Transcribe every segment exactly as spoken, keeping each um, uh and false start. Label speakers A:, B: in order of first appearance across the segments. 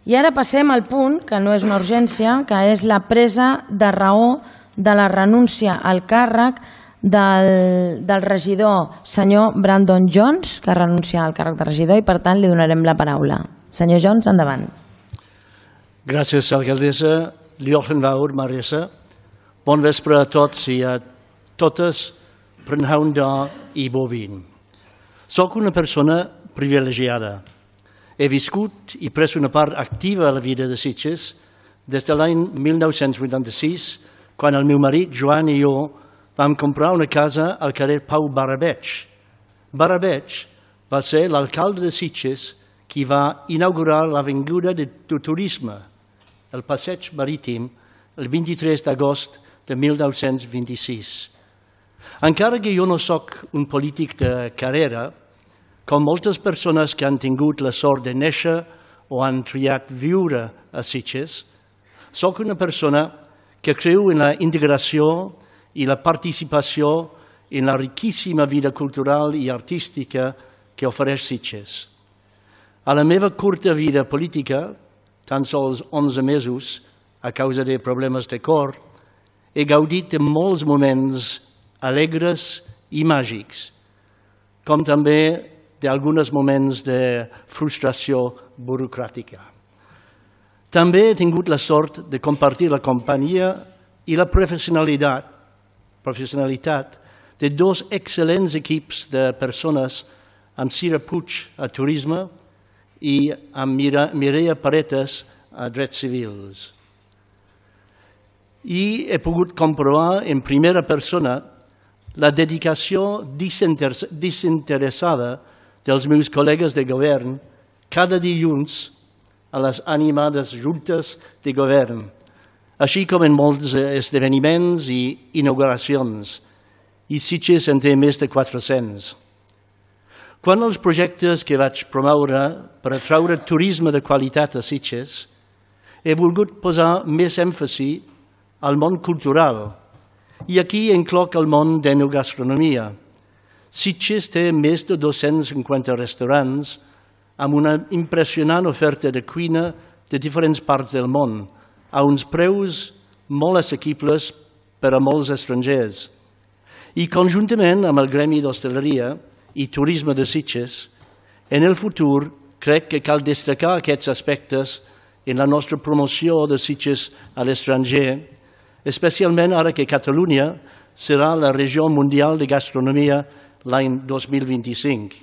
A: I ara passem al punt, que no és una urgència, que és la presa de raó de la renúncia al càrrec del, del regidor senyor Brandon Jones, que renuncia al càrrec de regidor, i per tant li donarem la paraula. Senyor Jones, endavant.
B: Gràcies, alcaldessa. Diolch yn fawr, Marisa. Bon vespre a tots i a totes, prynhawn da i bob un. Soc una persona privilegiada. He viscut i pres una part activa a la vida de Sitges des de l'any mil nou-cents vuitanta-sis, quan el meu marit, Joan, i jo vam comprar una casa al carrer Pau Barabeig. Barabeig va ser l'alcalde de Sitges qui va inaugurar l'avinguda de turisme, el passeig marítim, el vint-i-tres d'agost de mil nou-cents vint-i-sis. Encara que jo no sóc un polític de carrera, com moltes persones que han tingut la sort de néixer o han triat viure a Sitges, sóc una persona que creu en la integració i la participació en la riquíssima vida cultural i artística que ofereix Sitges. A la meva curta vida política, tan sols onze mesos, a causa de problemes de cor, he gaudit de molts moments alegres i màgics, com també d'alguns moments de frustració burocràtica. També he tingut la sort de compartir la companyia i la professionalitat, professionalitat de dos excel·lents equips de persones amb Cira Puig a Turisme i amb Mireia Paretes a Drets Civils. I he pogut comprovar en primera persona la dedicació desinteressada dels meus col·legues de govern cada dilluns a les animades juntes de govern, així com en molts esdeveniments i inauguracions, i Sitges en té més de quatre-cents. Quant als projectes que vaig promoure per atraure turisme de qualitat a Sitges, he volgut posar més èmfasi al món cultural, i aquí incloc el món d'enogastronomia. Sitges té més de dos-cents cinquanta restaurants amb una impressionant oferta de cuina de diferents parts del món, a uns preus molt assequibles per a molts estrangers. I conjuntament amb el Gremi d'Hostaleria i Turisme de Sitges, en el futur crec que cal destacar aquests aspectes en la nostra promoció de Sitges a l'estranger, especialment ara que Catalunya serà la regió mundial de gastronomia l'any dos mil vint-i-cinc.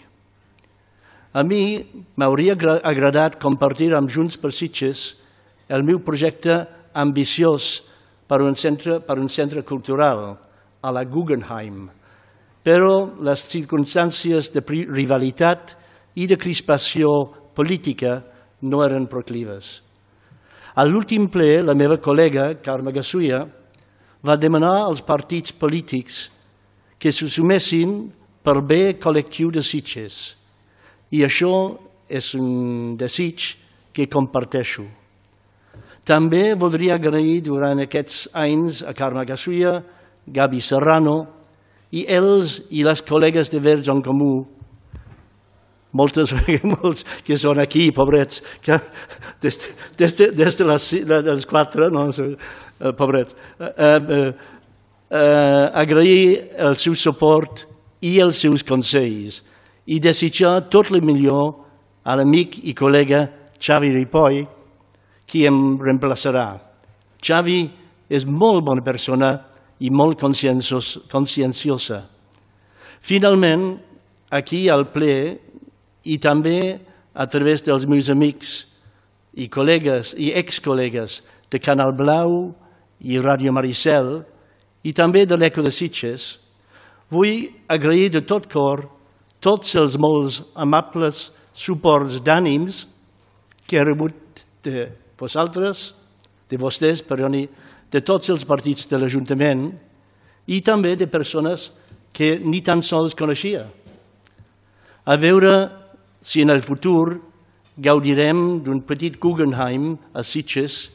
B: A mi m'hauria agradat compartir amb Junts per Sitges el meu projecte ambiciós per un centre, per un centre cultural a la Guggenheim, però les circumstàncies de rivalitat i de crispació política no eren proclives. A l'últim ple, la meva col·lega, Carme Gassuia, va demanar als partits polítics que se sumessin per bé col·lectiu de Sitges, i això és un desig que comparteixo. També voldria agrair durant aquests anys a Carme Gassuia, Gabi Serrano i els i les col·legues de Verds en Comú, moltes molts que són aquí, pobrets, que des, des, de, des de les, dels quatre, no, pobrets, eh, eh, eh, agrair el seu suport i els seus consells i desitjar tot el millor a l'amic i col·lega Xavi Ripoll, qui em reemplaçarà. Xavi és molt bona persona i molt conscienciosa. Finalment, aquí al ple, i també a través dels meus amics i col·legues i ex-col·legues de Canal Blau i Ràdio Maricel i també de l'Eco de Sitges, vull agrair de tot cor tots els molts amables suports d'ànims que he rebut de vosaltres, de vostès, perdoni, de tots els partits de l'Ajuntament i també de persones que ni tan sols coneixia. A veure si en el futur gaudirem d'un petit Guggenheim a Sitges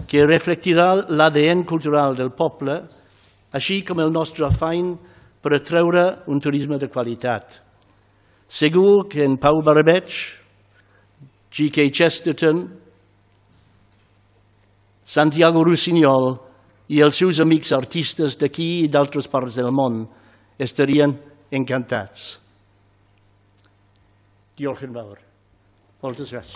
B: que reflectirà l'A D N cultural del poble, així com el nostre afany per atreure un turisme de qualitat. Segur que en Pau Barabeig, G K Chesterton Santiago Rossinyol i els seus amics artistes d'aquí i d'altres parts del món estarien encantats. Diolch yn fawr. Moltes gràcies.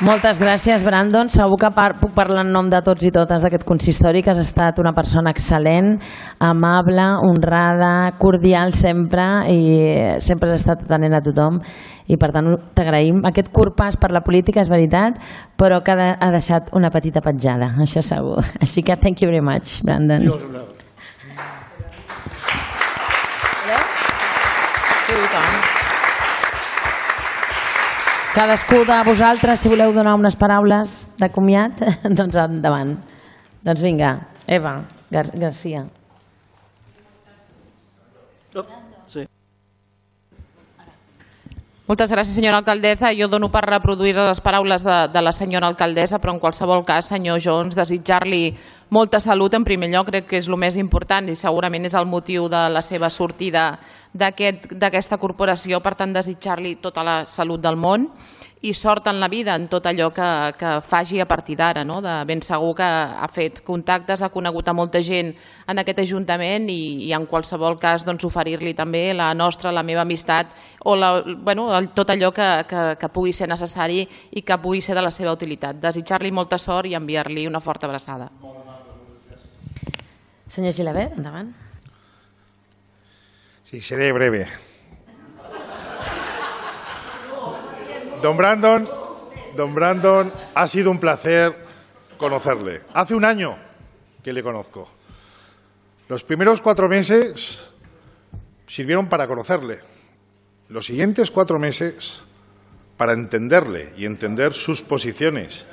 A: Moltes gràcies, Brandon. Segur que par puc parlar en nom de tots i totes d'aquest consistori, que has estat una persona excel·lent, amable, honrada, cordial sempre, i sempre has estat atenent a tothom, i per tant t'agraïm. Aquest curt pas per la política és veritat, però que ha deixat una petita petjada, això segur. Així que thank you very much, Brandon. Cadascú de vosaltres, si voleu donar unes paraules de comiat, doncs endavant. Doncs vinga, Eva Gar Garcia.
B: Sí.
C: Moltes gràcies, senyora alcaldessa. Jo dono per reproduir les paraules de, de la senyora alcaldessa, però en qualsevol cas, senyor Jones, desitjar-li molta salut en primer lloc, crec que és el més important i segurament és el motiu de la seva sortida d'aquesta corporació. Per tant, desitjar-li tota la salut del món i sort en la vida, en tot allò que, que faci a partir d'ara. No? De ben segur que ha fet contactes, ha conegut a molta gent en aquest Ajuntament i, i en qualsevol cas doncs, oferir-li també la nostra, la meva amistat o la, bueno, tot allò que, que, que pugui ser necessari i que pugui ser de la seva utilitat. Desitjar-li molta sort i enviar-li una forta abraçada.
A: Senyor Gilabert, endavant.
D: Sí, seré breve. Don Brandon, don Brandon, ha sido un placer conocerle. Hace un año que le conozco. Los primeros cuatro meses sirvieron para conocerle. Los siguientes cuatro meses para entenderle y entender sus posiciones.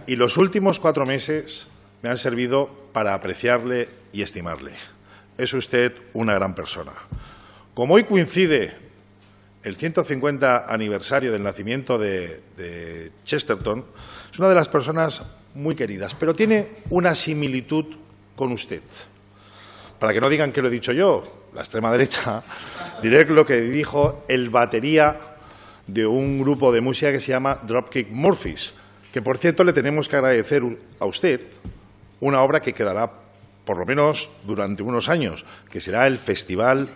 D: Y los últimos cuatro meses me han servido para apreciarle y estimarle. Es usted una gran persona. Como hoy coincide el ciento cincuenta aniversario del nacimiento de, de Chesterton, es una de las personas muy queridas, pero tiene una similitud con usted. Para que no digan que lo he dicho yo, la extrema derecha, diré lo que dijo el batería de un grupo de música que se llama Dropkick Murphys, que por cierto le tenemos que agradecer a usted una obra que quedará por lo menos durante unos años, que será el Festival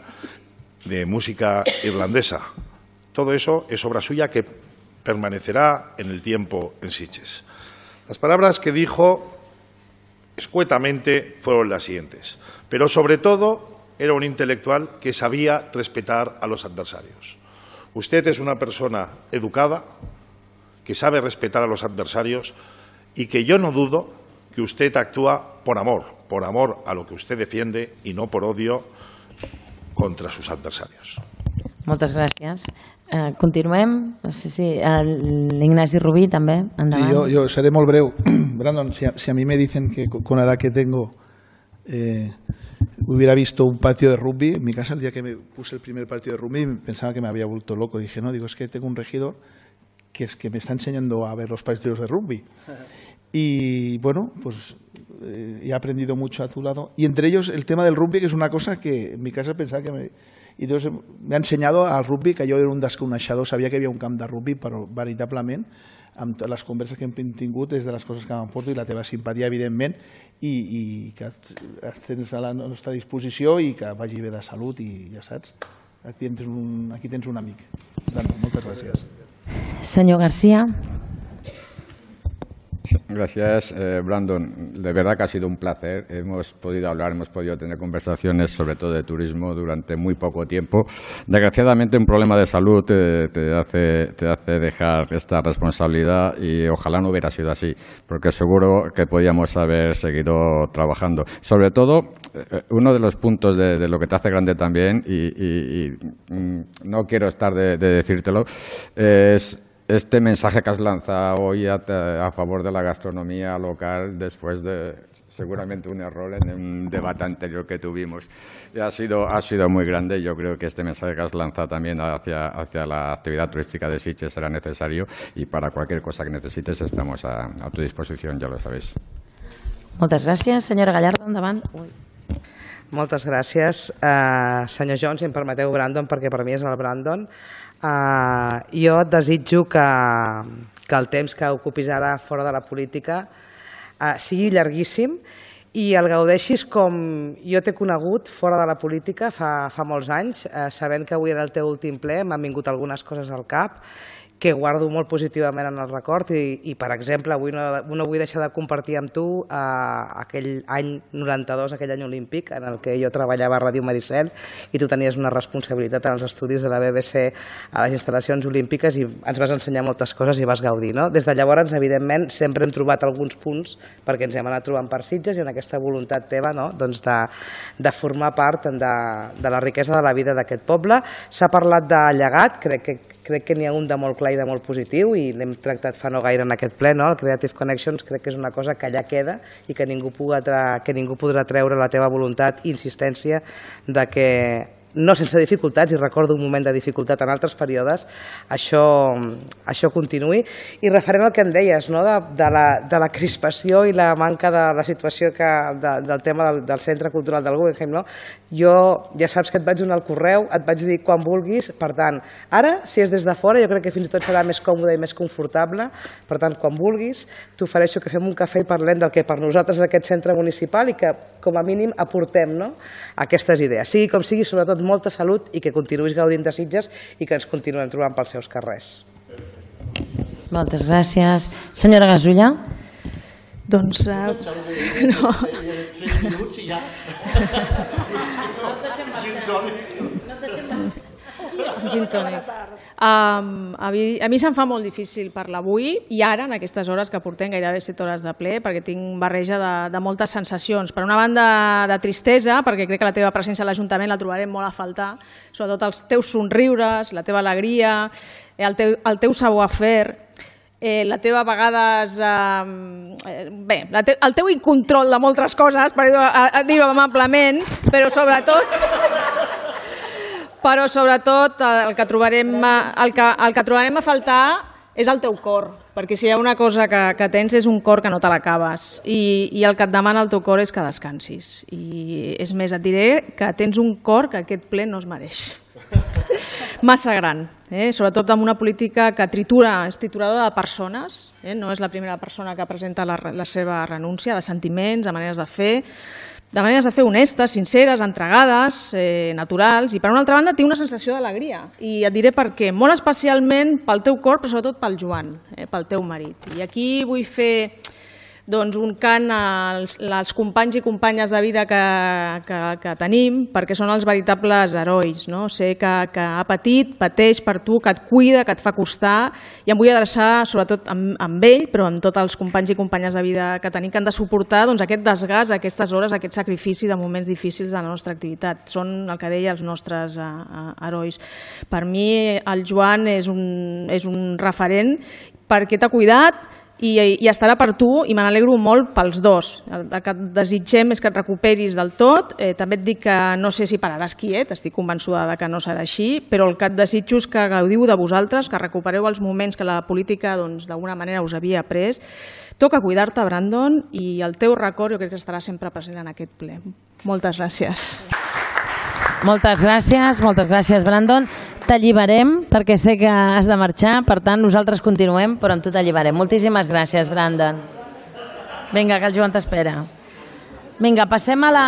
D: de Música Irlandesa. Todo eso es obra suya que permanecerá en el tiempo en Sitges. Las palabras que dijo escuetamente fueron las siguientes, pero sobre todo era un intelectual que sabía respetar a los adversarios. Usted es una persona educada, que sabe respetar a los adversarios y que yo no dudo que usted actúa por amor, por amor a lo que usted defiende y no por odio contra sus adversarios.
A: Moltes gràcies. Uh, continuem. No sé si l'Ignasi Rubí també.
E: Sí, yo, yo seré muy breu. Brandon, si a, si a mí me dicen que con la edad que tengo eh, hubiera visto un patio de rugby, en mi casa el día que me puse el primer partido de rugby pensaba que me había vuelto loco. Dije, no, digo, es que tengo un regidor que es que me está enseñando a ver los partidos de rugby. Y bueno, pues eh, he aprendido mucho a tu lado. Y entre ellos el tema del rugby, que es una cosa que en mi casa pensaba que me... I entonces me ha ensenyado al rugby, que jo era un dels coneixedors, sabia que hi havia un camp de rugby, però veritablement, amb les converses que hem tingut, és de les coses que m'emporto, i la teva simpatia, evidentment, i, i que tens a la nostra disposició i que vagi bé de salut, i ja saps, aquí tens un, aquí tens un amic. Moltes gràcies.
A: Senyor García.
F: Gracias, eh, Brandon. De verdad que ha sido un placer. Hemos podido hablar, hemos podido tener conversaciones, sobre todo de turismo, durante muy poco tiempo. Desgraciadamente, un problema de salud te, te, hace, te hace dejar esta responsabilidad y ojalá no hubiera sido así, porque seguro que podíamos haber seguido trabajando. Sobre todo, eh, uno de los puntos de, de lo que te hace grande también, y, y, y no quiero estar de, de decírtelo, es este mensaje que has lanzado hoy a, a favor de la gastronomía local después de seguramente un error en un debate anterior que tuvimos. Y ha sido, ha sido muy grande. Yo creo que este mensaje que has lanzado también hacia, hacia la actividad turística de Sitges será necesario y para cualquier cosa que necesites estamos a, a tu disposición, ya lo sabéis.
A: Moltes gràcies. Senyora Gallardo, endavant. Ui.
G: Moltes gràcies. Uh, senyor Jones, si em permeteu Brandon, perquè per mi és el Brandon. Uh, jo et desitjo que, que el temps que ocupis ara fora de la política uh, sigui llarguíssim i el gaudeixis com jo t'he conegut fora de la política fa, fa molts anys, uh, sabent que avui era el teu últim ple, m'han vingut algunes coses al cap que guardo molt positivament en el record i, i per exemple, avui no, no vull deixar de compartir amb tu eh, aquell any noranta-dos, aquell any olímpic en el que jo treballava a Ràdio Maricel i tu tenies una responsabilitat en els estudis de la B B C a les instal·lacions olímpiques i ens vas ensenyar moltes coses i vas gaudir. No? Des de llavors, evidentment, sempre hem trobat alguns punts perquè ens hem anat trobant per Sitges i en aquesta voluntat teva no? doncs de, de formar part de, de la riquesa de la vida d'aquest poble. S'ha parlat de llegat, crec que crec que n'hi ha un de molt clar i de molt positiu i l'hem tractat fa no gaire en aquest ple, no? El Creative Connections crec que és una cosa que allà queda i que ningú, podrà, que ningú podrà treure la teva voluntat i insistència de que no sense dificultats, i recordo un moment de dificultat en altres períodes, això, això continuï. I referent al que em deies, no? de, de, la, de la crispació i la manca de la situació que, de, del tema del, del Centre Cultural del Guggenheim, no? Jo ja saps que et vaig donar el correu, et vaig dir quan vulguis, per tant, ara, si és des de fora, jo crec que fins i tot serà més còmode i més confortable, per tant, quan vulguis, t'ofereixo que fem un cafè i parlem del que per nosaltres és aquest centre municipal i que, com a mínim, aportem no? aquestes idees. Sigui com sigui, sobretot molta salut i que continuïs gaudint de Sitges i que ens continuem trobant pels seus carrers.
A: Moltes gràcies. Senyora Gasulla.
H: Doncs... Uh, no. Gin tònic. Um, a mi, a mi se'm fa molt difícil parlar avui i ara, en aquestes hores que portem gairebé set hores de ple, perquè tinc barreja de, de moltes sensacions. Per una banda, de tristesa, perquè crec que la teva presència a l'Ajuntament la trobarem molt a faltar, sobretot els teus somriures, la teva alegria, el teu, el teu savoir-faire, Eh, la teva a vegades eh, bé, la te, el teu incontrol de moltes coses, per dir-ho amablement, però sobretot però sobretot el que trobarem el que, el que trobarem a faltar és el teu cor, perquè si hi ha una cosa que, que tens és un cor que no te l'acabes i, i el que et demana el teu cor és que descansis i és més, et diré que tens un cor que aquest ple no es mereix massa gran, eh? sobretot amb una política que tritura, és trituradora de persones, eh? no és la primera persona que presenta la, la seva renúncia, de sentiments, de maneres de fer, de maneres de fer honestes, sinceres, entregades, eh, naturals, i per una altra banda té una sensació d'alegria, i et diré per què, molt especialment pel teu cor, però sobretot pel Joan, eh, pel teu marit. I aquí vull fer doncs, un cant als, als companys i companyes de vida que, que, que tenim, perquè són els veritables herois. No? Sé que, que ha patit, pateix per tu, que et cuida, que et fa costar, i em vull adreçar sobretot amb, amb ell, però amb tots els companys i companyes de vida que tenim, que han de suportar doncs, aquest desgast, aquestes hores, aquest sacrifici de moments difícils de la nostra activitat. Són, el que deia, els nostres uh, uh, herois. Per mi el Joan és un, és un referent perquè t'ha cuidat, I, i estarà per tu i me n'alegro molt pels dos. El, el que et desitgem és que et recuperis del tot. Eh, també et dic que no sé si pararàs quiet, estic convençuda de que no serà així, però el que et desitjo és que gaudiu de vosaltres, que recupereu els moments que la política doncs, d'alguna manera us havia pres. Toca cuidar-te, Brandon, i el teu record jo crec que estarà sempre present en aquest ple. Moltes gràcies.
A: Moltes gràcies, moltes gràcies, Brandon. T'alliberem perquè sé que has de marxar, per tant nosaltres continuem, però amb tu t'alliberem. Moltíssimes gràcies, Brandon. Vinga, que el Joan t'espera. Vinga, passem a la...